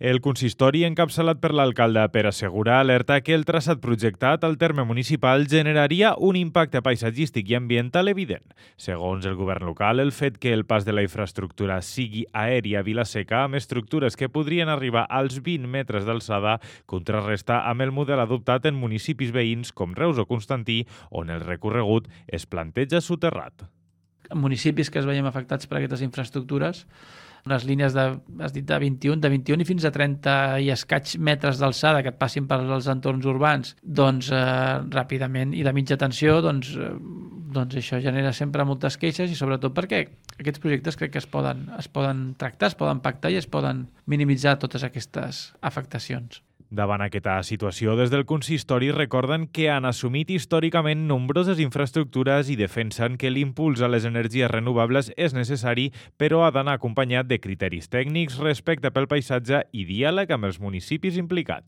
El consistori, encapçalat per l'alcalde Pere Segura, alerta que el traçat projectat al terme municipal generaria un impacte paisatgístic i ambiental evident. Segons el govern local, el fet que el pas de la infraestructura sigui aèria a Vila-seca, amb estructures que podrien arribar als 20 metres d'alçada, contrarresta amb el model adoptat en municipis veïns com Reus o Constantí, on el recorregut es planteja soterrat. En municipis que es veiem afectats per aquestes infraestructures, les línies has dit de 21 i fins a 30 i escaig metres d'alçada que et passin per als entorns urbans, doncs ràpidament, i de mitja tensió, doncs això genera sempre moltes queixes, i sobretot perquè aquests projectes crec que es poden tractar, es poden pactar i es poden minimitzar totes aquestes afectacions. Davant aquesta situació, des del consistori recorden que han assumit històricament nombroses infraestructures i defensen que l'impuls a les energies renovables és necessari, però ha d'anar acompanyat de criteris tècnics, respecte pel paisatge i diàleg amb els municipis implicats.